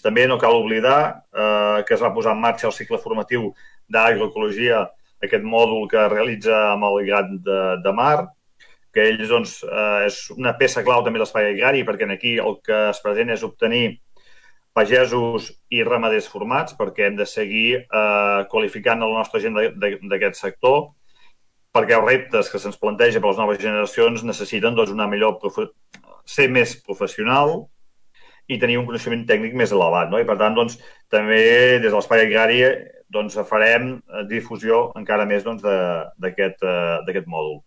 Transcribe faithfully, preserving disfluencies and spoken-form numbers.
també no cal oblidar eh, que es va posar en marxa el cicle formatiu d'agroecologia, aquest mòdul que realitza amb el Grat de, de Mar, que ells, doncs, eh, és una peça clau també de l'espai agrari, perquè aquí el que es pretén és obtenir pagesos i ramaders formats, perquè hem de seguir eh, qualificant la nostra gent d'aquest sector, perquè els reptes que se'ns planteja per les noves generacions necessiten doncs, una millor profe... ser més professional i tenir un coneixement tècnic més elevat. No? I per tant, doncs, també des de l'espai agrari doncs, farem difusió encara més doncs, d'aquest doncs, mòdul.